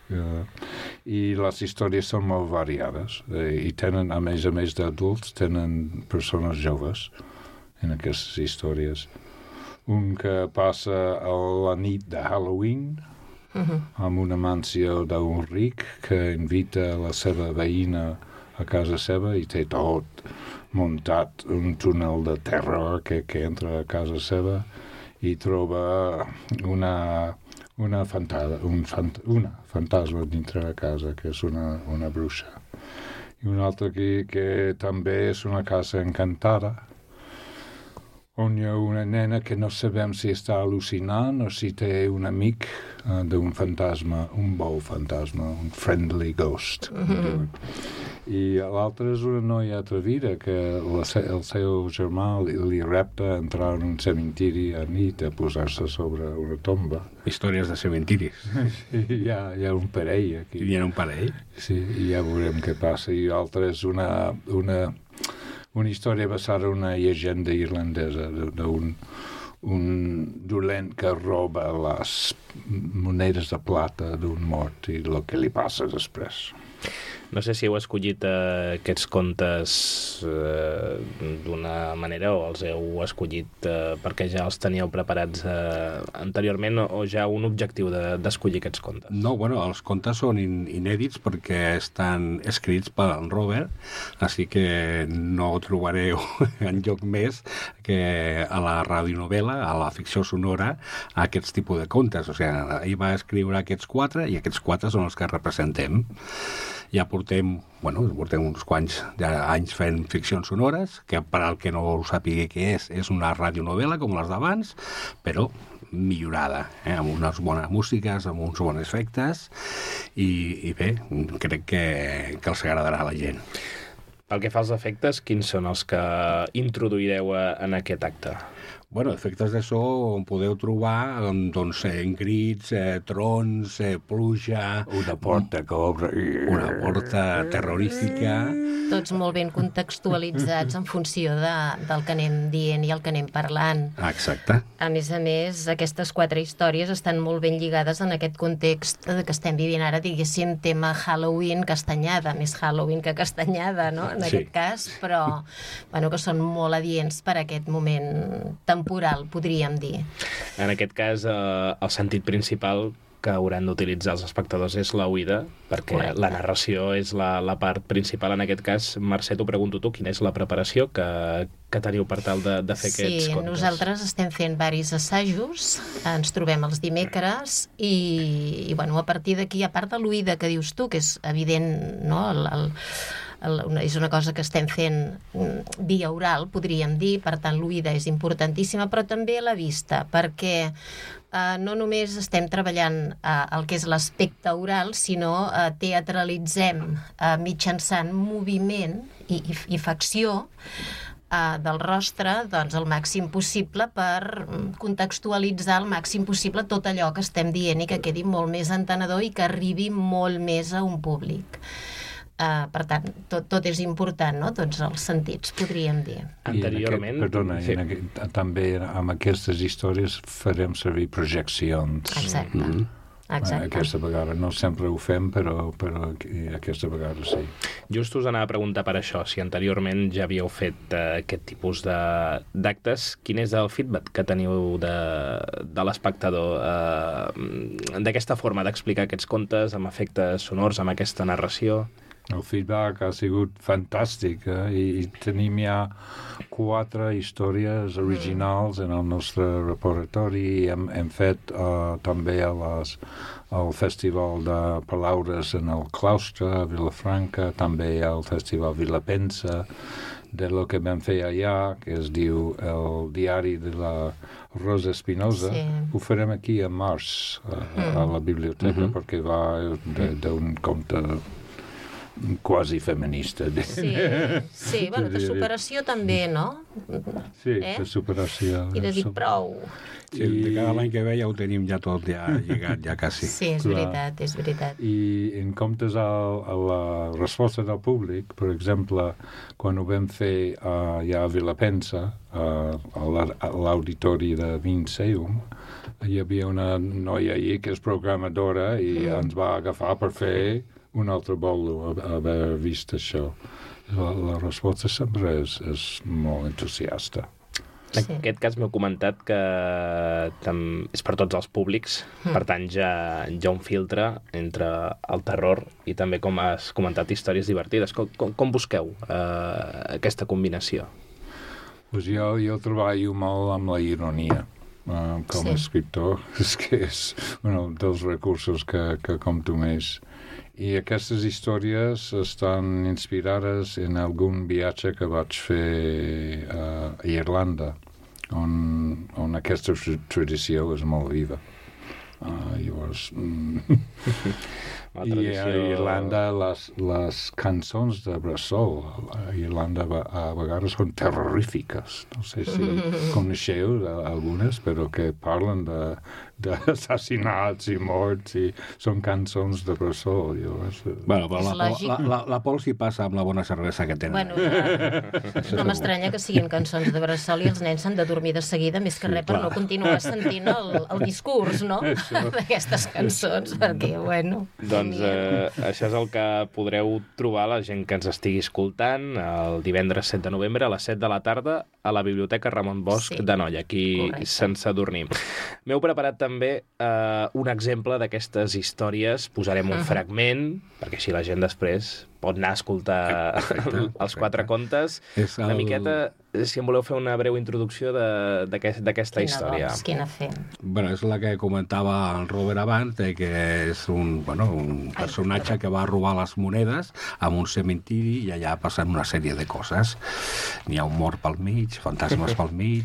I les històries són molt variades i tenen, a més d'adults, tenen persones joves en aquestes històries. Un que passa a la nit de Halloween amb una mansió d'un ric que invita la seva veïna a casa seva i té tot muntat un túnel de terror que entra a casa seva i troba una fantasma dintre de casa, que és una bruixa. I un altre que també és una casa encantada, on hi ha una nena que no sabem si està al·lucinant o si té un amic d'un fantasma, un bon fantasma, un friendly ghost. I l'altre és una noia atrevida que el seu germà li repta a entrar en un cementiri a nit a posar-se sobre una tomba. Històries de cementiris. Hi ha un parell aquí. Hi ha un parell? Sí, i ja veurem què passa. I l'altre és una història basada en una llegenda irlandesa d'un dolent que roba les monedes de plata d'un mort i el que li passa després. No sé si heu escollit aquests contes d'una manera o els heu escollit perquè ja els teníeu preparats anteriorment o ja un objectiu d'escollir aquests contes? No, bueno, els contes són inèdits perquè estan escrits per en Robert, així que no trobareu enlloc més que a la radionovel·la, a la ficció sonora, aquests tipus de contes. O sigui, ell va escriure aquests 4 i aquests 4 són els que representem. Ja portem uns quants anys fent ficcions sonores, que per al que no ho sàpiga què és una radionovel·la com les d'abans, però millorada, amb unes bones músiques, amb uns bons efectes, i bé, crec que els agradarà a la gent. Pel que fa als efectes, quins són els que introduireu en aquest acte? Bueno, efectes de so on podeu trobar doncs, crits, trons, pluja... Una porta que obre... Una porta terrorífica... Tots molt ben contextualitzats en funció del que anem dient i el que anem parlant. Exacte. A més, aquestes 4 històries estan molt ben lligades en aquest context que estem vivint ara, diguéssim, tema Halloween, castanyada, més Halloween que castanyada, no?, en aquest cas, però bueno, que són molt adients per a aquest moment temporal, podríem dir. En aquest cas, el sentit principal que hauran d'utilitzar els espectadors és la oïda, perquè correcte. La narració és la part principal. En aquest cas, Mercè, t'ho pregunto tu, quina és la preparació que teniu per tal de fer aquests contes? Sí, nosaltres estem fent diversos assajos, ens trobem els dimecres i bueno, a partir d'aquí, a part de l'oïda que dius tu, que és evident, no?, és una cosa que estem fent via oral, podríem dir, per tant l'oïda és importantíssima, però també la vista, perquè no només estem treballant el que és l'aspecte oral, sinó teatralitzem mitjançant moviment i facció del rostre, doncs, el màxim possible per contextualitzar el màxim possible tot allò que estem dient i que quedi molt més entenedor i que arribi molt més a un públic. Per tant, tot és important, no?, tots els sentits, podríem dir. Anteriorment... També amb aquestes històries farem servir projeccions. Exacte. Aquesta vegada no sempre ho fem, però aquesta vegada sí. Just us anava a preguntar per això, si anteriorment ja havíeu fet aquest tipus d'actes, quin és el feedback que teniu de l'espectador d'aquesta forma d'explicar aquests contes amb efectes sonors, amb aquesta narració? El feedback ha sigut fantàstic i tenim ja 4 històries originals en el nostre repertori. Hem fet també el Festival de Palaures en el Claustre a Vilafranca, també al Festival Vilapensa, de lo que vam fer allà, que es diu El diari de la Rosa Espinosa. Sí. Ho farem aquí a març, a la biblioteca, perquè va d'un conte quasi feminista. Sí, bueno, de superació també, no? Sí, de superació. I de dir prou. Sí, de cada l'any que ve ja ho tenim ja tot llegat, ja quasi. Sí, és veritat, és veritat. I en comptes a la resposta del públic, per exemple, quan ho vam fer ja a Vilapensa, a l'auditori de Vinceum, hi havia una noia allí que és programadora i ens va agafar per fer un altre bolo haver vist això. La resposta sempre és molt entusiasta. En aquest cas m'heu comentat que és per tots els públics, per tant ja un filtre entre el terror i també, com has comentat, històries divertides. Com busqueu aquesta combinació? Pues jo treballo molt amb la ironia com a escriptor. És que és un dels recursos que compto més. I aquestes històries estan inspirades en algun viatge que vaig fer a Irlanda, on aquesta tradició és molt viva. Llavors... I a Irlanda les cançons de bressol a Irlanda a vegades són terrorífiques. No sé si coneixeu algunes, però que parlen d'assassinats i morts i són cançons de bressol. Bueno, però la Pol s'hi passa amb la bona cervesa que tenen. Bueno, no m'estranya que siguin cançons de bressol i els nens s'han de dormir de seguida, més que res per no continuar sentint el discurs, no?, d'aquestes cançons, perquè, bueno... Doncs això és el que podreu trobar la gent que ens estigui escoltant el divendres 7 de novembre a les 7 de la tarda a la Biblioteca Ramon Bosch de Noia, aquí Sant Sadurní. M'heu preparat també un exemple d'aquestes històries. Posarem un fragment, perquè així la gent després pot anar a escoltar els 4 contes. Una miqueta, si em voleu fer una breu introducció d'aquesta història. Quina fem? Bueno, és la que comentava el Robert abans, que és un personatge que va robar les monedes a un cementiri i allà passen una sèrie de coses. N'hi ha un mort pel mig, fantasmes pel mig...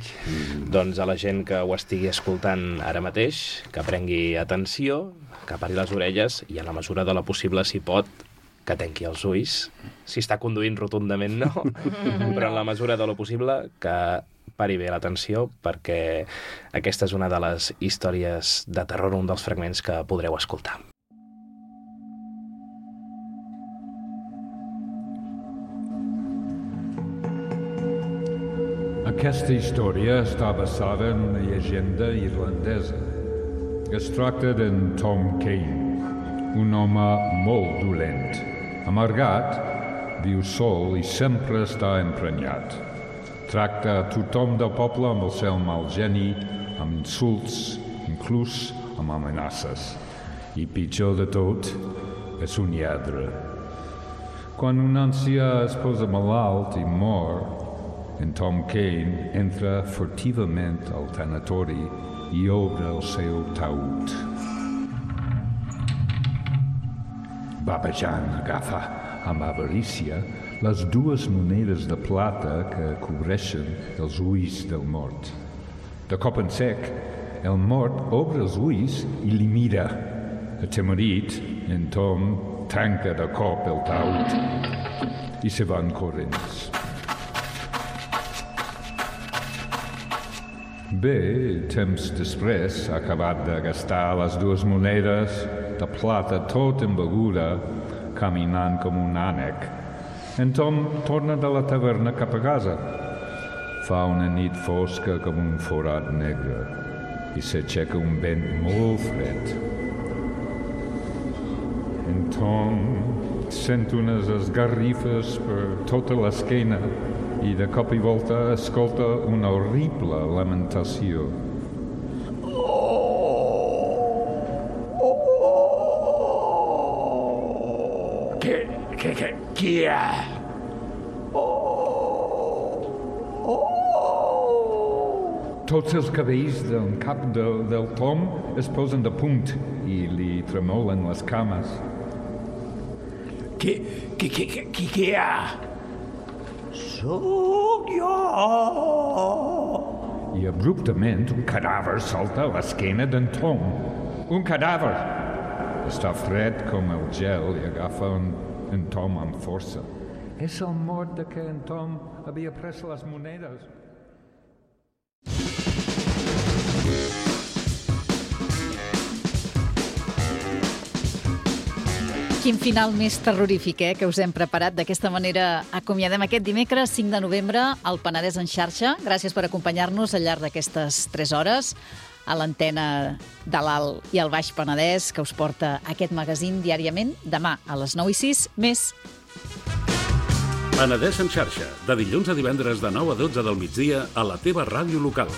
Doncs a la gent que ho estigui escoltant ara mateix, que prengui atenció, que pari les orelles i en la mesura de la possible, si pot, que tanqui els ulls. Si està conduint rotundament, no. Però en la mesura de lo possible, que pari bé l'atenció, perquè aquesta és una de les històries de terror, un dels fragments que podreu escoltar. Aquesta història està basada en una llegenda irlandesa. Es tracta d'en Tom Kane, un home molt dolent. Amargat, viu sol i sempre està emprenyat. Tracta a tothom del poble amb el seu mal geni, amb insults, inclús amb amenaces. I pitjor de tot, és un lladre. Quan un ancià es posa malalt i mor, en Tom Kane entra furtivament al tanatori i obre el seu taüt. Babejant agafa amb avarícia les 2 monedes de plata que cobreixen els ulls del mort. De cop en sec, el mort obre els ulls i li mira. Atemorit, en Tom tanca de cop el taüt i se van corrents. Bé, temps després, ha acabat de gastar les 2 monedes de plata tot embeguda, caminant com un ànec. En Tom torna de la taverna cap a casa. Fa una nit fosca com un forat negre i s'aixeca un vent molt fred. En Tom sent unes esgarrifes per tota l'esquena i de cop i volta escolta una horrible lamentació. Qui hi ha? Tots els cabells del cap del Tom es posen de punt i li tremolen les cames. Qui hi ha? Sóc jo! I abruptament un cadàver salta a l'esquena d'en Tom. Un cadàver! Està fred com el gel i agafa en Tom amb força. És el mort de què en Tom havia pres les monedes. Quin final més terrorífic, que us hem preparat. D'aquesta manera acomiadem aquest dimecres 5 de novembre al Penedès en xarxa. Gràcies per acompanyar-nos al llarg d'aquestes 3 hores a l'antena de l'Alt i el Baix Penedès, que us porta aquest magazín diàriament. Demà a les 9:06, més. Penedès en xarxa, de dilluns a divendres de 9 a 12 del migdia a la teva ràdio local.